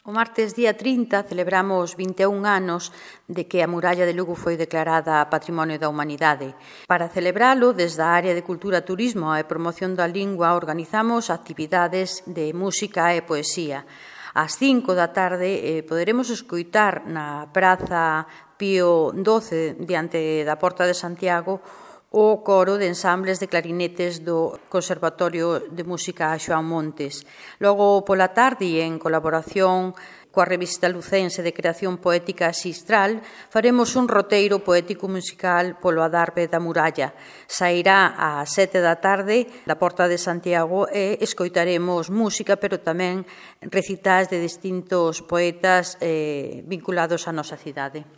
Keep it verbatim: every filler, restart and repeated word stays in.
O martes día trinta celebramos vinte e un anos de que a muralla de Lugo foi declarada Patrimonio da Humanidade. Para celebralo, desde a área de Cultura, Turismo e Promoción da Lingua, organizamos actividades de música e poesía. Ás cinco da tarde eh, poderemos escoitar na Praza Pío doce, diante da Porta de Santiago, o coro de ensambles de clarinetes do Conservatorio de Música Xoán Montes. Logo, pola tarde, en colaboración coa revista lucense de creación poética Xistral, faremos un roteiro poético-musical polo adarve da muralla. Sairá ás sete da tarde da Porta de Santiago e escoitaremos música, pero tamén recitais de distintos poetas eh, vinculados á nosa cidade.